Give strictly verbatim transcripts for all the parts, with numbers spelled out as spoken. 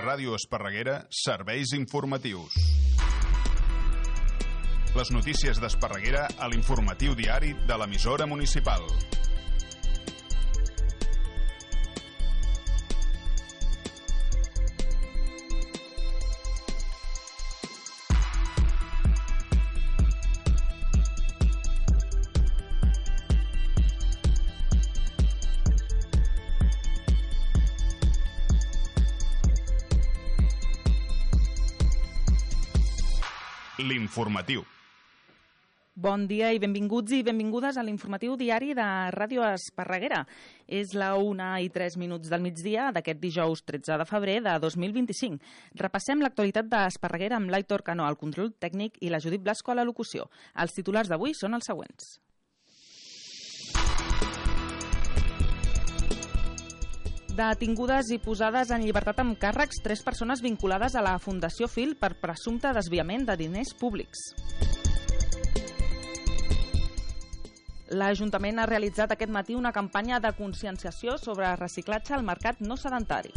Ràdio Esparreguera, serveis informatius. Les notícies d'Esparreguera a l'informatiu diari de l'emissora municipal. L'informatiu. Bon dia i benvinguts i benvingudes a l'informatiu diari de Ràdio Esparreguera. És la una i tres minuts del migdia d'aquest dijous tretze de febrer de dos mil vint-i-cinc. Repassem l'actualitat d'Esparreguera amb l'Aitor Cano al control tècnic i la Judit Blasco a la locució. Els titulars d'avui són els següents. Detingudes i posades en llibertat amb càrrecs tres persones vinculades a la Fundació Fil per presumpte desviament de diners públics. L'Ajuntament ha realitzat aquest matí una campanya de conscienciació sobre reciclatge al mercat no sedentari.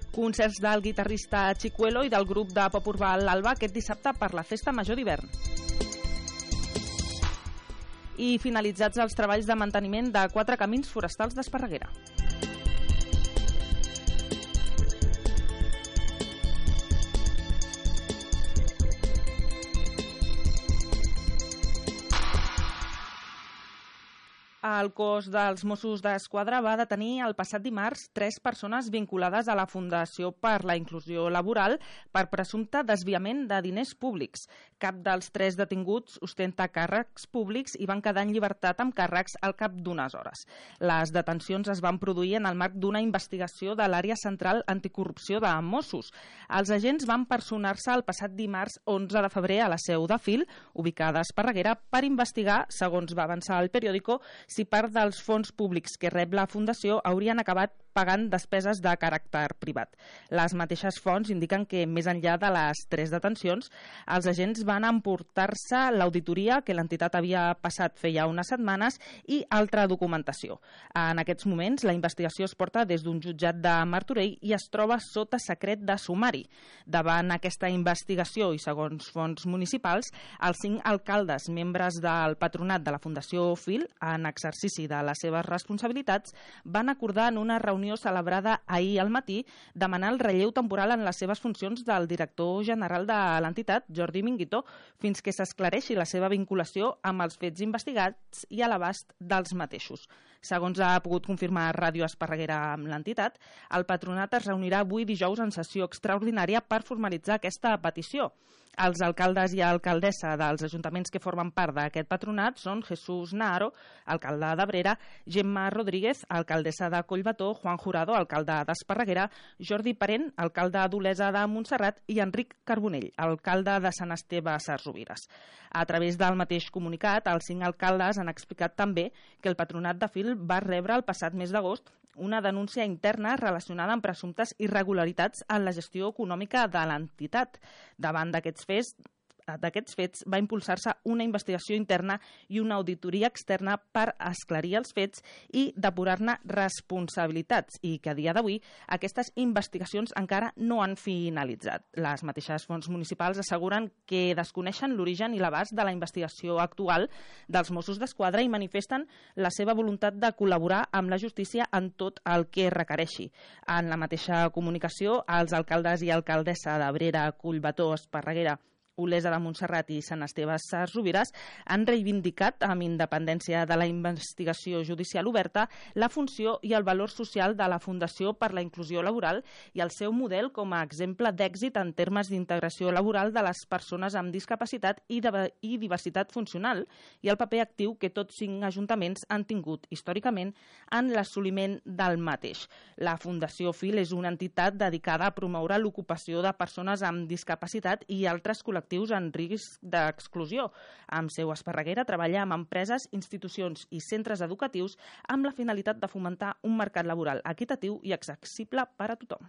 Concerts del guitarrista Chicuelo i del grup de pop urbà L'Alba aquest dissabte per la Festa Major d'hivern. I finalitzats els treballs de manteniment de quatre camins forestals d'Esparreguera. El cos dels Mossos d'Esquadra va detenir el passat dimarts tres persones vinculades a la Fundació per la Inclusió Laboral per presumpte desviament de diners públics. Cap dels tres detinguts ostenta càrrecs públics i van quedar en llibertat amb càrrecs al cap d'unes hores. Les detencions es van produir en el marc d'una investigació de l'Àrea Central Anticorrupció de Mossos. Els agents van personar-se el passat dimarts onze de febrer a la seu de Fil, ubicada a Esparreguera, per investigar, segons va avançar el periòdico, si part dels fons públics que rep la Fundació haurien acabat pagant despeses de caràcter privat. Les mateixes fonts indiquen que, més enllà de les tres detencions, els agents van emportar-se l'auditoria que l'entitat havia passat feia unes setmanes i altra documentació. En aquests moments, la investigació es porta des d'un jutjat de Martorell i es troba sota secret de sumari. Davant aquesta investigació i segons fonts municipals, els cinc alcaldes, membres del patronat de la Fundació Fil, en exercici de les seves responsabilitats, van acordar en una reunió celebrada ahir al matí demanar el relleu temporal en les seves funcions del director general de l'entitat, Jordi Minguito, fins que s'esclareixi la seva vinculació amb els fets investigats i a l'abast dels mateixos. Segons ha pogut confirmar Ràdio Esparreguera amb l'entitat, el patronat es reunirà avui dijous en sessió extraordinària per formalitzar aquesta petició. Els alcaldes i alcaldessa dels ajuntaments que formen part d'aquest patronat són Jesús Naharo, alcalde d'Abrera, Gemma Rodríguez, alcaldessa de Collbató, Juan Jurado, alcalde d'Esparreguera, Jordi Parent, alcalde d'Olesa de Montserrat i Enric Carbonell, alcalde de Sant Esteve Sesrovires. A través del mateix comunicat, els cinc alcaldes han explicat també que el patronat de Fil va rebre el passat mes d'agost una denúncia interna relacionada amb presumptes irregularitats en la gestió econòmica de l'entitat. Davant d'aquests fets, d'aquests fets va impulsar-se una investigació interna i una auditoria externa per esclarir els fets i depurar-ne responsabilitats i que a dia d'avui aquestes investigacions encara no han finalitzat. Les mateixes fonts municipals asseguren que desconeixen l'origen i l'abast de la investigació actual dels Mossos d'Esquadra i manifesten la seva voluntat de col·laborar amb la justícia en tot el que requereixi. En la mateixa comunicació, els alcaldes i alcaldessa d'Abrera, Collbató, Esparreguera, Olesa de Montserrat i Sant Esteve Sesrovires han reivindicat, amb independència de la investigació judicial oberta, la funció i el valor social de la Fundació per la Inclusió Laboral i el seu model com a exemple d'èxit en termes d'integració laboral de les persones amb discapacitat i, de, i diversitat funcional i el paper actiu que tots cinc ajuntaments han tingut històricament en l'assoliment del mateix. La Fundació Fil és una entitat dedicada a promoure l'ocupació de persones amb discapacitat i altres col·lectius en risc d'exclusió. Amb seu a Esparreguera treballa amb empreses, institucions i centres educatius amb la finalitat de fomentar un mercat laboral equitatiu i accessible per a tothom.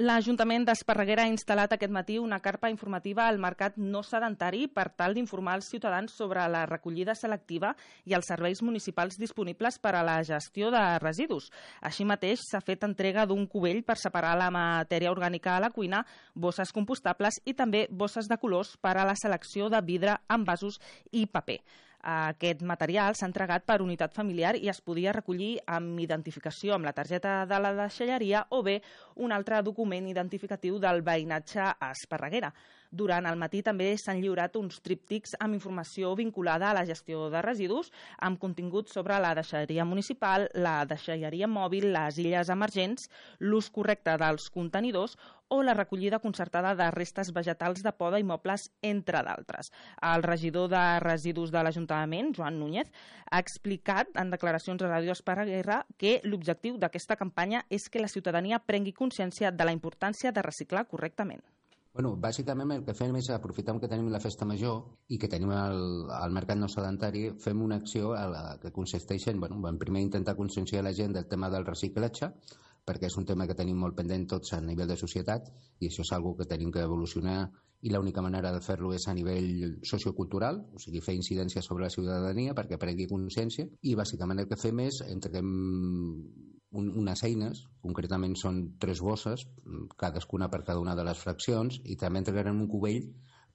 L'Ajuntament d'Esparreguera ha instal·lat aquest matí una carpa informativa al mercat no sedentari per tal d'informar els ciutadans sobre la recollida selectiva i els serveis municipals disponibles per a la gestió de residus. Així mateix, s'ha fet entrega d'un cubell per separar la matèria orgànica a la cuina, bosses compostables i també bosses de colors per a la selecció de vidre, envasos i paper. Aquest material s'ha entregat per unitat familiar i es podia recollir amb identificació amb la targeta de la deixalleria o bé un altre document identificatiu del veïnatge a Esparreguera. Durant el matí també s'han lliurat uns tríptics amb informació vinculada a la gestió de residus, amb contingut sobre la deixalleria municipal, la deixalleria mòbil, les illes emergents, l'ús correcte dels contenidors o la recollida concertada de restes vegetals de poda i mobles, entre d'altres. El regidor de residus de l'Ajuntament, Joan Núñez, ha explicat en declaracions a Ràdio Esparreguera que l'objectiu d'aquesta campanya és que la ciutadania prengui consciència de la importància de reciclar correctament. Bueno, bàsicament el que fem és, aprofitant que tenim la festa major i que tenim el, el mercat no sedentari, fem una acció a la, que consisteix en, bueno, en primer intentar conscienciar la gent del tema del reciclatge, perquè és un tema que tenim molt pendent tots a nivell de societat i això és una cosa que tenim que evolucionar i l'única manera de fer-lo és a nivell sociocultural, o sigui, fer incidència sobre la ciutadania perquè prengui consciència i bàsicament el que fem és entreguem un, unes eines, concretament són tres bosses, cadascuna per cada una de les fraccions i també entregarem un cubell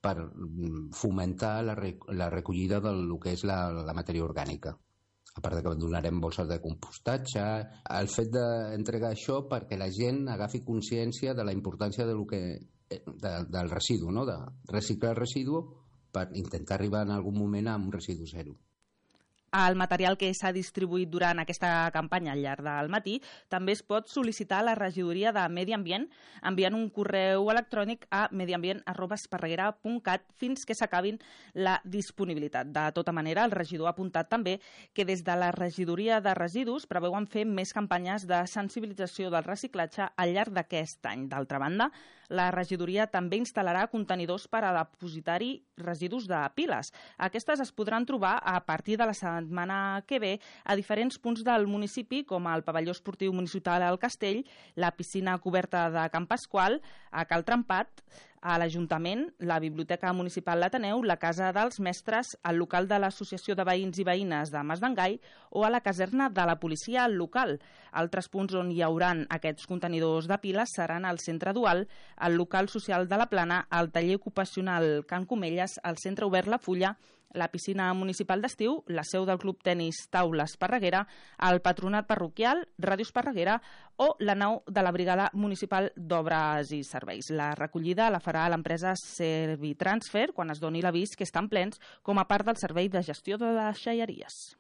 per fomentar la, la recollida del que és la, la matèria orgànica. A part de que donarem bolses de compostatge, el fet d'entregar això perquè la gent agafi consciència de la importància de lo que, de, del residu, no? De reciclar el residu per intentar arribar en algun moment a un residu zero. El material que s'ha distribuït durant aquesta campanya al llarg del matí també es pot sol·licitar a la regidoria de Medi Ambient enviant un correu electrònic a mediambient arroba esparreguera punt cat fins que s'acabin la disponibilitat. De tota manera, el regidor ha apuntat també que des de la regidoria de residus preveuen fer més campanyes de sensibilització del reciclatge al llarg d'aquest any. D'altra banda, la regidoria també instal·larà contenidors per a depositar-hi residus de piles. Aquestes es podran trobar a partir de la setmana que ve a diferents punts del municipi, com el pavelló esportiu municipal al Castell, la piscina coberta de Can Pasqual, a Cal Trempat, a l'Ajuntament, la Biblioteca Municipal l'Ateneu, la Casa dels Mestres, el local de l'Associació de Veïns i Veïnes de Mas d'Engai o a la caserna de la policia local. Altres punts on hi hauran aquests contenidors de piles seran al Centre Dual, el local social de la Plana, el taller ocupacional Can Comelles, el Centre Obert La Fulla, la piscina municipal d'estiu, la seu del Club Tenis Taula Esparreguera, el Patronat Parroquial, Ràdio Esparreguera o la nau de la Brigada Municipal d'Obres i Serveis. La recollida la farà l'empresa Servitransfer quan es doni l'avís que estan plens com a part del servei de gestió de deixalleries.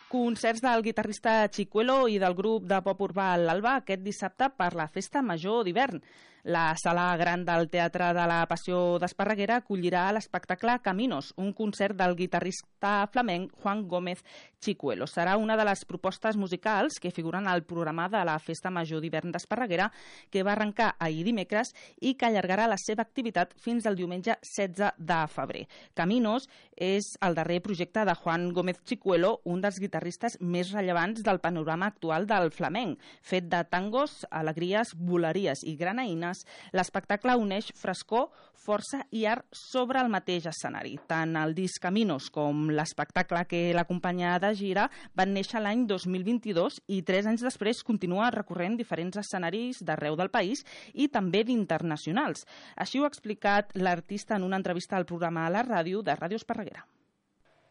Concerts del guitarrista Chicuelo i del grup de pop urbà l'Alba aquest dissabte per la Festa Major d'hivern. La sala gran del Teatre de la Passió d'Esparreguera acollirà l'espectacle Caminos, un concert del guitarrista flamenc Juan Gómez Chicuelo. Serà una de les propostes musicals que figuren al programa de la Festa Major d'hivern d'Esparreguera, que va arrencar ahir dimecres i que allargarà la seva activitat fins al diumenge setze de febrer. Caminos és el darrer projecte de Juan Gómez Chicuelo, un dels guitarristes més rellevants del panorama actual del flamenc. Fet de tangos, alegries, voleries i granaïnes, l'espectacle uneix frescor, força i art sobre el mateix escenari. Tant el disc Caminos com l'espectacle que l'acompanya de gira van néixer l'any dos mil vint-i-dos i tres anys després continua recorrent diferents escenaris d'arreu del país i també d'internacionals. Així ho ha explicat l'artista en una entrevista al programa a la ràdio de Ràdio Esparreguera.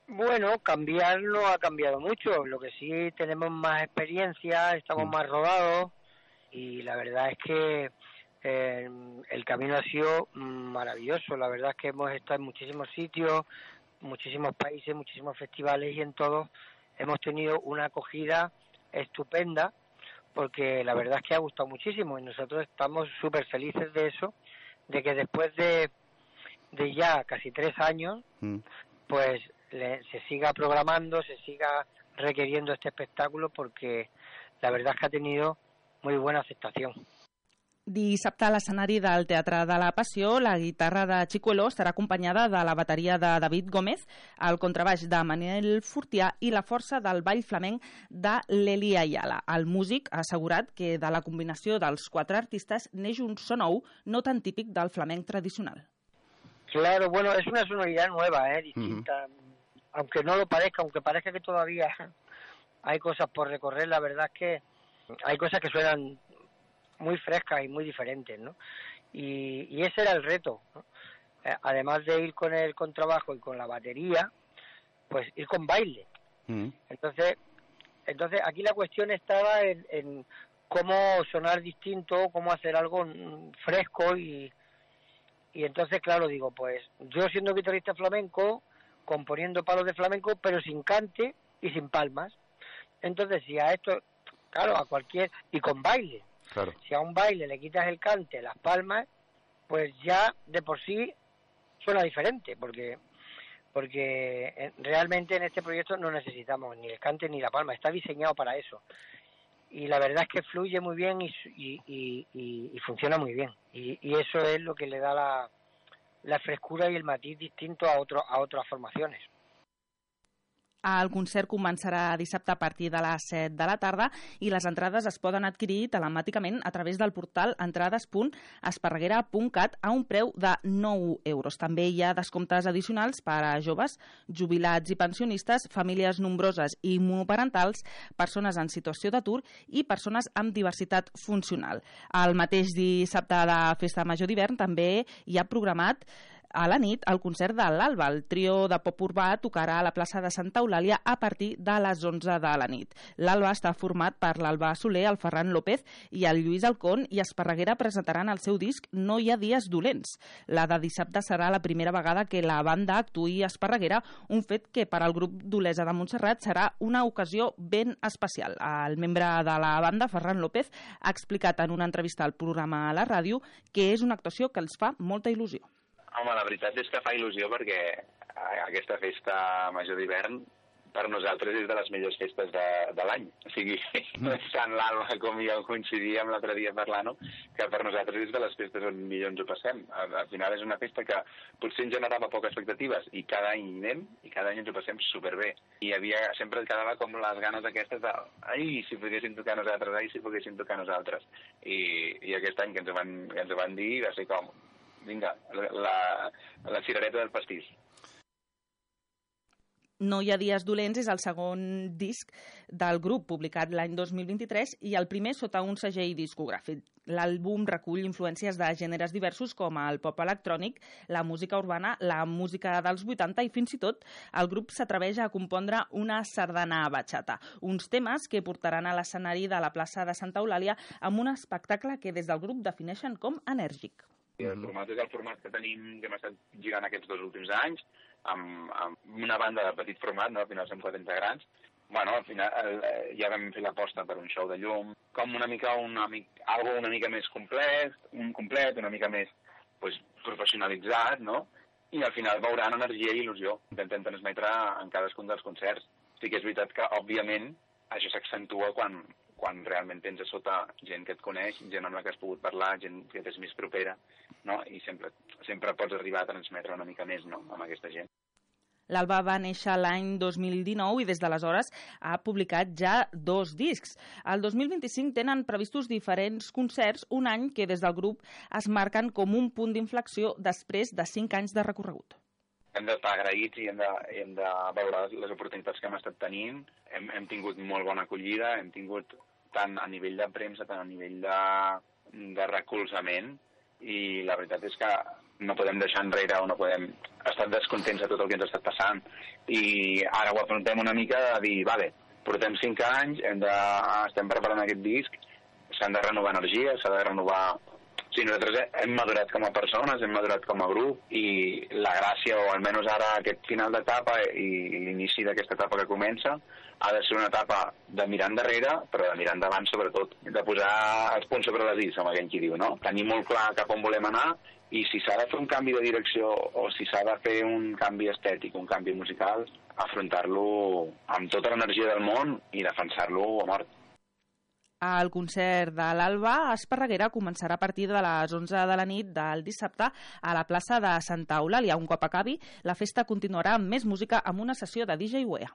Bueno, cambiar no ha cambiado mucho, lo que sí tenemos más experiencia, estamos más rodados y la verdad es que eh, el camino ha sido maravilloso. La verdad es que hemos estado en muchísimos sitios, muchísimos países, muchísimos festivales y en todos hemos tenido una acogida estupenda porque la verdad es que ha gustado muchísimo y nosotros estamos súper felices de eso, de que después de, de ya casi tres años, mm. pues le, se siga programando, se siga requiriendo este espectáculo porque la verdad es que ha tenido muy buena aceptación. Dissabte a l'escenari del Teatre de la Passió, la guitarra de Chicuelo estarà acompanyada de la bateria de David Gómez, el contrabaix de Manuel Fortià i la força del ball flamenc de l'Eli Ayala. El músic ha assegurat que de la combinació dels quatre artistes neix un so nou, no tan típic del flamenc tradicional. Claro, bueno, es una sonoridad nueva, ¿eh? Distinta. Uh-huh. Aunque no lo parezca, aunque parezca que todavía hay cosas por recorrer, la verdad es que hay cosas que suenan muy frescas y muy diferentes, ¿no? Y, y ese era el reto, ¿no? Eh, además de ir con el contrabajo y con la batería, pues ir con baile. Mm. Entonces, entonces aquí la cuestión estaba en, en cómo sonar distinto, cómo hacer algo fresco y, y entonces, claro, digo, pues yo siendo guitarrista flamenco, componiendo palos de flamenco, pero sin cante y sin palmas. Entonces, si a esto, claro, a cualquier, y con baile. Claro. Si a un baile le quitas el cante, las palmas, pues ya de por sí suena diferente, porque porque realmente en este proyecto no necesitamos ni el cante ni la palma, está diseñado para eso. Y la verdad es que fluye muy bien y, y, y, y, y funciona muy bien. Y, y eso es lo que le da la, la frescura y el matiz distinto a, otro, a otras formaciones. El concert començarà dissabte a partir de les set de la tarda i les entrades es poden adquirir telemàticament a través del portal entrades punt esparreguera punt cat a un preu de nou euros. També hi ha descomptes addicionals per a joves, jubilats i pensionistes, famílies nombroses i monoparentals, persones en situació d'atur i persones amb diversitat funcional. El mateix dissabte de Festa Major d'hivern també hi ha programat a la nit el concert de l'Alba. El trio de pop urbà tocarà a la plaça de Santa Eulàlia a partir de les onze de la nit. L'Alba està format per l'Alba Soler, el Ferran López i el Lluís Alcón i Esparreguera presentaran el seu disc No hi ha dies dolents. La de dissabte serà la primera vegada que la banda actuï a Esparreguera, un fet que per al grup d'Olesa de Montserrat serà una ocasió ben especial. El membre de la banda, Ferran López, ha explicat en una entrevista al programa a la ràdio que és una actuació que els fa molta il·lusió. Home, la veritat és que fa il·lusió perquè aquesta festa major d'hivern per nosaltres és de les millors festes de, de l'any. O sigui, tant l'Alba com jo coincidíem l'altre dia parlant, que per nosaltres és de les festes on millor ens ho passem. Al, al final és una festa que potser ens generava poques expectatives i cada any anem i cada any ens ho passem superbé. I havia, sempre et quedava com les ganes aquestes de ai, si poguéssim tocar nosaltres, ai, si poguéssim tocar nosaltres. I, i aquest any que ens ho van, que ens ho van dir va ser com vinga, la, la cirereta del pastís. No hi ha dies dolents és el segon disc del grup, publicat l'any dos mil vint-i-tres, i el primer sota un segell discogràfic. L'àlbum recull influències de gèneres diversos com el pop electrònic, la música urbana, la música dels vuitanta i fins i tot el grup s'atreveix a compondre una sardana a bachata, uns temes que portaran a l'escenari de la plaça de Santa Eulàlia amb un espectacle que des del grup defineixen com enèrgic. El format és el format que tenim, que hem estat girant aquests dos últims anys, amb, amb una banda de petit format, no? Al final som quatre integrants. Bueno, al final eh, ja vam fer l'aposta per un show de llum, com una mica, una, algo una mica més complet, un complet, una mica més pues, professionalitzat, no? I al final veuran energia i il·lusió. Intentem transmetre en cadascun dels concerts. Sí que és veritat que, òbviament, això s'accentua quan, quan realment tens a sota gent que et coneix, gent amb la que has pogut parlar, gent que és més propera, no? I sempre, sempre pots arribar a transmetre una mica més, no?, amb aquesta gent. L'Alba va néixer l'any dos mil dinou i des d'aleshores ha publicat ja dos discs. El dos mil vint-i-cinc tenen previstos diferents concerts, un any que des del grup es marquen com un punt d'inflexió després de cinc anys de recorregut. Hem d'estar agraïts i hem de, hem de veure les oportunitats que hem estat tenint. Hem, hem tingut molt bona acollida, hem tingut tant a nivell de premsa, tant a nivell de, de recolzament, i la veritat és que no podem deixar enrere o no podem estar descontents de tot el que ens ha estat passant. I ara ho afrontem una mica de dir, vale, portem cinc anys, hem de, estem preparant aquest disc, s'han de renovar energies, s'ha de renovar... O sigui, nosaltres hem madurat com a persones, hem madurat com a grup, i la gràcia, o almenys ara aquest final d'etapa i l'inici d'aquesta etapa que comença, ha de ser una etapa de mirar endarrere, però de mirar endavant sobretot, de posar els punts sobre les is, com aquell qui diu, no? Tenir molt clar cap on volem anar, i si s'ha de fer un canvi de direcció o si s'ha de fer un canvi estètic, un canvi musical, afrontar-lo amb tota l'energia del món i defensar-lo a mort. El concert de l'Alba Esparreguera començarà a partir de les onze de la nit del dissabte a la plaça de Santa Eulàlia. Un cop acabi, la festa continuarà amb més música amb una sessió de D J W E A.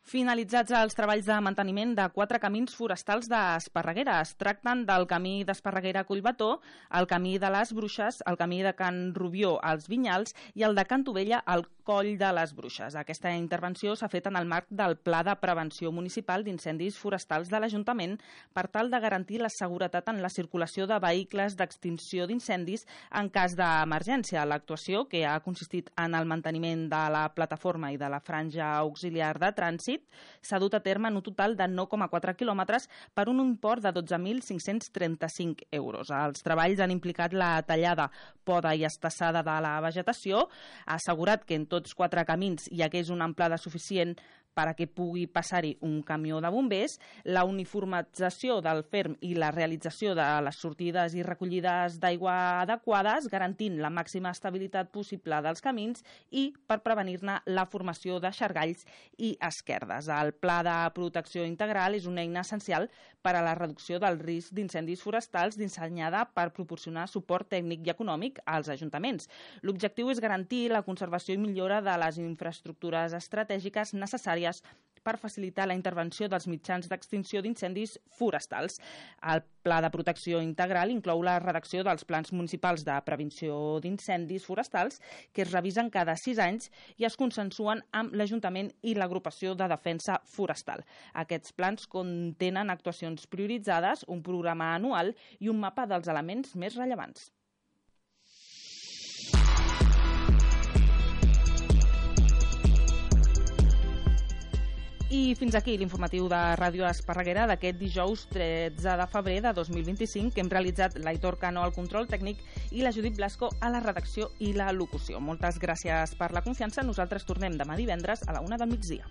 Finalitzats els treballs de manteniment de quatre camins forestals d'Esparreguera. Es tracten del camí d'Esparreguera a Collbató, el camí de les Bruixes, el camí de Can Rubió als Vinyals i el de Can Tovella al Coll de les Bruixes. Aquesta intervenció s'ha fet en el marc del Pla de Prevenció Municipal d'Incendis Forestals de l'Ajuntament per tal de garantir la seguretat en la circulació de vehicles d'extinció d'incendis en cas d'emergència. L'actuació, que ha consistit en el manteniment de la plataforma i de la franja auxiliar de trànsit, s'ha dut a terme en un total de nou coma quatre quilòmetres per un import de dotze mil cinc-cents trenta-cinc euros. Els treballs han implicat la tallada, poda i estassada de la vegetació. Ha assegurat que en tots quatre camins hi hagués una amplada suficient per a que pugui passar-hi un camió de bombers, la uniformització del ferm i la realització de les sortides i recollides d'aigua adequades, garantint la màxima estabilitat possible dels camins i per prevenir-ne la formació de xargalls i esquerdes. El Pla de Protecció Integral és una eina essencial per a la reducció del risc d'incendis forestals dissenyada per proporcionar suport tècnic i econòmic als ajuntaments. L'objectiu és garantir la conservació i millora de les infraestructures estratègiques necessàries per facilitar la intervenció dels mitjans d'extinció d'incendis forestals. El Pla de Protecció Integral inclou la redacció dels plans municipals de prevenció d'incendis forestals que es revisen cada sis anys i es consensuen amb l'Ajuntament i l'Agrupació de Defensa Forestal. Aquests plans contenen actuacions prioritzades, un programa anual i un mapa dels elements més rellevants. I fins aquí l'informatiu de Ràdio Esparreguera d'aquest dijous tretze de febrer de dos mil vint-i-cinc, que hem realitzat l'Aitor Cano al control tècnic i la Judit Blasco a la redacció i la locució. Moltes gràcies per la confiança. Nosaltres tornem demà divendres a la una del migdia.